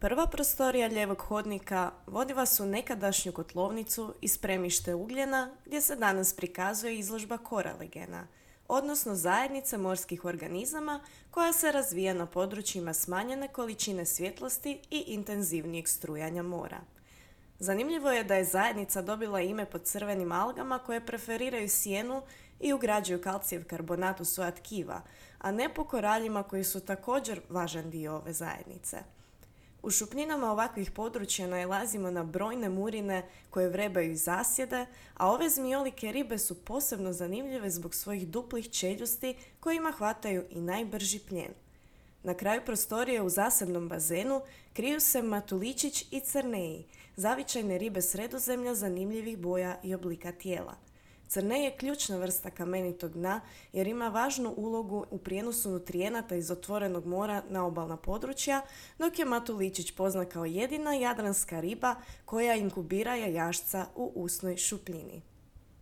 Prva prostorija lijevog hodnika vodi vas u nekadašnju kotlovnicu i spremište ugljena gdje se danas prikazuje izložba koralegena, odnosno zajednice morskih organizama koja se razvija na područjima smanjene količine svjetlosti i intenzivnijeg strujanja mora. Zanimljivo je da je zajednica dobila ime po crvenim algama koje preferiraju sjenu i ugrađuju kalcijev karbonat u svoja tkiva, a ne po koraljima koji su također važan dio ove zajednice. U šupljinama ovakvih područja nailazimo na brojne murine koje vrebaju iz zasjede, a ove zmijolike ribe su posebno zanimljive zbog svojih duplih čeljusti kojima hvataju i najbrži plijen. Na kraju prostorije u zasebnom bazenu kriju se matuličić i crneji, zavičajne ribe Sredozemlja zanimljivih boja i oblika tijela. Crnej je ključna vrsta kamenitog dna jer ima važnu ulogu u prijenosu nutrijenata iz otvorenog mora na obalna područja, dok je matuličić poznat kao jedina jadranska riba koja inkubira jajašca u usnoj šupljini.